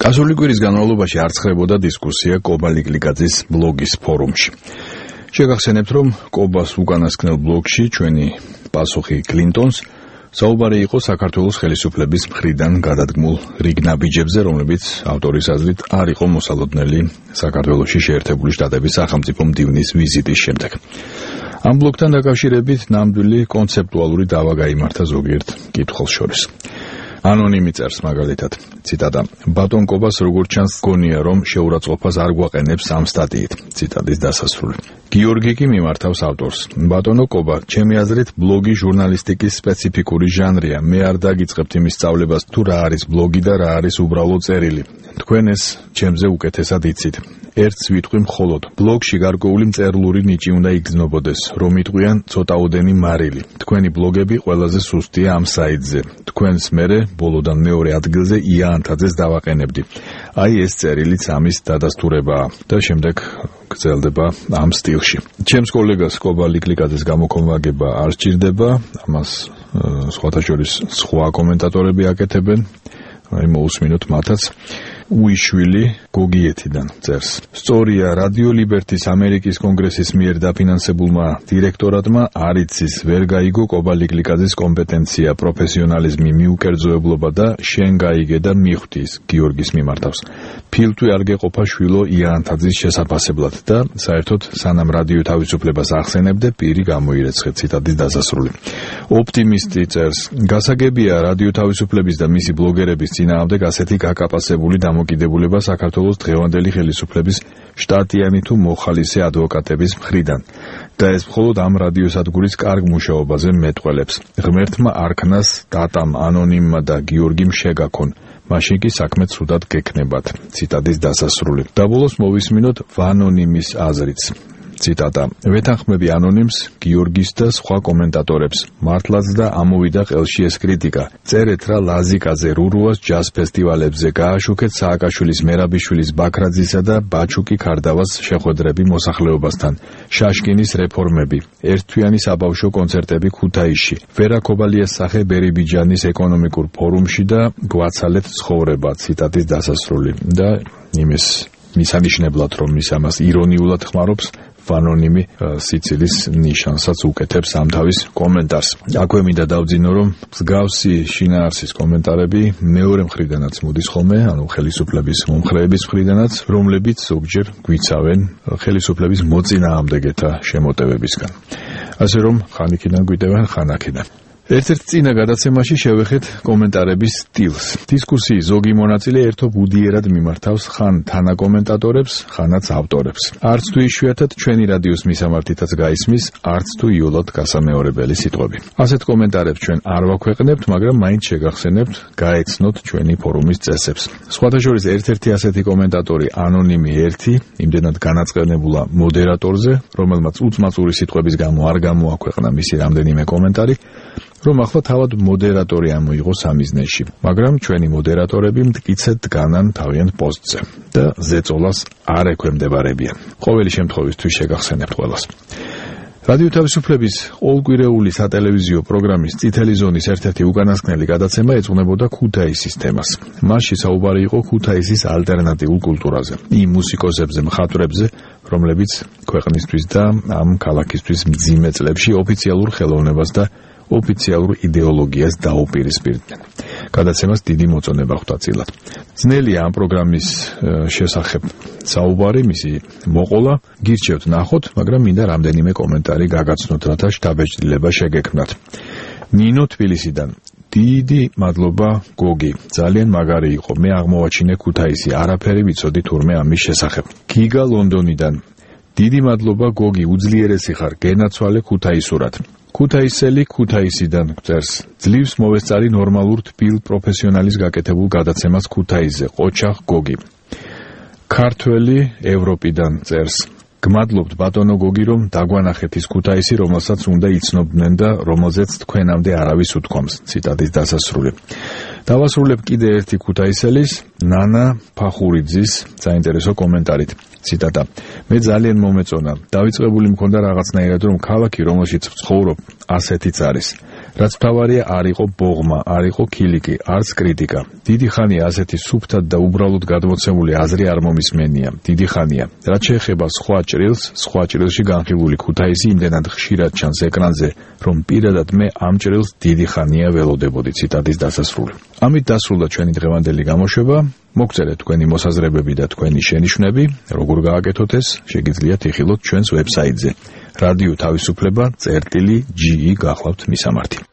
გასული კვირის განმავლობაში არ ცხრებოდა დისკუსია კობა ლიკლიკაძის ბლოგის ფორუმში. შეგახსენებთ, რომ კობას უკანასკნელ ბლოგში ჩვენი პასუხი კლინტონს საუბარი იყო საქართველოს ხელისუფლების მხრიდან გადადგმულ რიგ ნაბიჯებზე, რომლებიც ავტორის აზრით არ იყო მოსალოდნელი საქართველოში შეერთებული შტატების სახელმწიფო მდივნის ვიზიტის შემდეგ. ამ ბლოგთან დაკავშირებით ნამდვილი კონცეპტუალური დავა გაიმართა ზოგიერთ კითხვას შორის. ანონიმი წერს მაგალითად, ციტატა: ბატონ კობას როგორც ჩანს გონია, რომ შეურაცხყოფას არ გვაყენებს ამ სტატიით, ციტატის დასასრული. გიორგი კი მიმართავს ავტორს: ბატონო კობა, ჩემი აზრით ბლოგი ჟურნალისტიკის სპეციფიკური ჟანრია. მე არ დაგიწყებთ იმის სწავლებას, თუ რა არის ბლოგი და რა არის უბრალო წერილი. თქვენ ეს ჩემზე უკეთესად იცით. ერთს ვიტყვი მხოლოდ, ბლოგში გარკვეული მწერლური ნიჭი უნდა იგრძნობოდეს, რომ იტყვიან ცოტაოდენი მარილი. თქვენი ბლოგები ყველაზე სუსტია ამ საიტზე. თქვენს მერე ბოლოდან მეორე ადგილზე ია ანთაძეს დავაყენებდი. აი ეს წერილიც ამის დადასტურებაა და შემდეგ გრძელდება ამ სტილში. ჩემს კოლეგას კობა ლიკლიკაძეს გამოქვაბაგება არ სჭირდება, ამას სხვათა შორის სხვა კომენტატორები აკეთებენ, აი მოусმინოთ მათაც. უიშვილი გოგიეთიდან წერს: სწორია, რადიო ლიბერტის ამერიკის კონგრესის მიერ დაფინანსებულმა დირექტორატმა არ იცის, ვერ გაიგო კობა ლიკლიკაძის კომპეტენცია, პროფესიონალიზმი, მიუკერძოებლობა და შენ გაიგე და მიხვდის, გიორგის მიმართავს. ფილტვი არ გეყოფა შვილო ია ანთაძის შესაფასებლად და საერთოდ სანამ რადიო თავისუფლებას ახსენებდე, პირი გამოირეცხე, ციტატის დასასრული. ოპტიმისტი წერს: გასაგებია, რადიო თავისუფლების და მისი ბლოგერების წინააღმდეგ ასეთი გაკაპასებული დამოკიდებულება საქართველოს დღევანდელი ხელისუფლების შტატიანი თუ მოხალისე ადვოკატების მხრიდან და ეს მხოლოდ ამ რადიოსადგურის კარგ მუშაობაზე მეტყველებს. ღმერთმა არქნას დატამ ანონიმმა და გიორგიმ შეგაქონ, მაშინ კი საქმე ცუდად გექნებათ, ციტატის დასასრული. და ბოლოს მოვისმინოთ ვანონიმის აზრიც. ციტატა: ვეთანხმები ანონიმს, გიორგის და სხვა კომენტატორებს. მართლაც და ამოვიდა ყელში ეს კრიტიკა. წერეთ რა ლაზიკაზე, რურუას ჯაზ ფესტივალებზე, გააშუქეთ სააკაშვილის, მერაბიშვილის, ბაქრაძისა და ბაჩუკი ქარდავას შეხვედრები მოსახლეობასთან, შაშკინის რეფორმები, ერთთვიანი საბავშვო კონცერტები ქუთაისში, ვერა ქობალიას სახე ბერიბიჯანის ეკონომიკურ ფორუმში და გვაცალეთ ცხოვრება, ციტატის დასასრული. და იმის მისანიშნებლად, რომ ის ამას ირონიულად ხმარობს, ვანონიმი სიცილის ნიშანსაც უკეთებს ამ თავის კომენტარს. აქვე მინდა დავძინო, რომ მსგავსი შინაარსის კომენტარები მეორე მხრიდანაც მოდის ხოლმე, ანუ ხელისუფლების მომხრეების მხრიდანაც, რომლებიც ზოგჯერ გვიცავენ ხელისუფლების მოწინააღმდეგეთა შემოტევებისგან. ასე რომ ხანიქიდან გვიტევენ ხანაქიდან. ერთ-ერთ წინა გადაცემაში შევეხეთ კომენტარების სტილს. დისკუსიის ზოგი მონაწილე ერთობ უდიერად მიმართავს ხან თანაკომენტატორებს, ხანაც ავტორებს. არც თუ იშვიათად ჩვენი რადიოს მისამართითაც გაისმის, არც თუ იოლად გასამეორებელი სიტყვები. ასეთ კომენტარებს ჩვენ არ ვაქვეყნებთ, მაგრამ მაინც შეგახსენებთ, გაეცნოთ ჩვენი ფორუმის წესებს. სხვათა შორის ერთ-ერთი ასეთი კომენტატორი ანონიმი 1 იმდენად განაწყენებულა მოდერატორზე, რომელმაც უწმაწური სიტყვების გამო არ გამოაქვეყნა მისი რამდენიმე კომენტარი, რომ ახლა თავად მოდერატორი ამოიღო სამიზნეში, მაგრამ ჩვენი მოდერატორები მტკიცედ დგანან თავიანთ პოსტზე და ზეწოლას არ ექვემდებარებიან. ყოველი შემთხვევისთვის შეგახსენებთ ყველას. რადიო თავისუფლების ყოველკვირეული სატელევიზიო პროგრამის წითელი ზონის ერთ-ერთი უკანასკნელი გადაცემა ეძღვნებოდა ქუთაისის თემას. მასში საუბარი იყო ქუთაისის ალტერნატიულ კულტურაზე, იმ მუსიკოსებზე, მხატვრებზე, რომლებიც ქვეყნისთვის და ამ ქალაქისთვის მძიმე წლებში ოფიციალურ ხელოვნებას და ოფიციალურ იდეოლოგიას დაუპირისპირდნენ. გადაცემას დიდი მოწონება ხვდა წილად. ძნელია ამ პროგრამის შესახებ საუბარი, მისი მოყოლა, გირჩევთ ნახოთ, მაგრამ მინდა რამდენიმე კომენტარი გაგაცნოთ, რათა შთაბეჭდილება შეგექმნათ. ნინო თბილისიდან: დიდი მადლობა გოგი, ძალიან მაგარი იყო, მე აღმოვაჩინე ქუთაისი, არაფერი ვიცოდი თურმე ამის შესახებ. გიგა ლონდონიდან: დიდი მადლობა გოგი, უძლიერესი ხარ, გენაცვალე ქუთაისურად. ქუთაისელი ქუთაისიდან წერს: ძლივს მოვესწარი ნორმალურ თბილ პროფესიონალის გაკეთებულ გადაცემას ქუთაისზე, ყოჩახ გოგი. ქართველი ევროპიდან წერს: გმადლობთ ბატონო გოგი, რომ დაგვანახეთ ის ქუთაისი, რომელსაც უნდა იცნობდნენ და რომელზეც თქვენამდე არავის უთქვამს, ციტატის დასასრული. დავასრულებ კიდე ერთი ქუთაისელის, ნანა ფახურიძის საინტერესო კომენტარით. ციტატა: მე ძალიან მომეწონა, დავიწყებული მქონდა რაღაცნაირად, რომ ქალაქი, რომელშიც ვცხოვრობ, ასეთიც არის. რაც მთავარია არ იყო ბოღმა, არ იყო ქილიკი, არც კრიტიკა. დიდი ხანია ასეთი სუფთად და უბრალოდ გადმოცემული აზრი არ მომისმენია. დიდი ხანია. რაც შეეხება სხვა ჭრილში განხილული ქუთაისი იმდენად ხშირად ჩანს ეკრანზე, რომ პირადად მე ამ ჭრილს დიდი ხანია ველოდებოდი. ციტატის დასასრული. ამით დასრულდა ჩვენი დღევანდელი გამოშვება. მოგწერეთ თქვენი მოსაზრებები და თქვენი შენიშვნები, როგორ გააკეთოთ ეს, შეგიძლიათ იხილოთ ჩვენს ვებსაიტზე. რადიო თავისუფლება.ge გახლავთ მისამართი.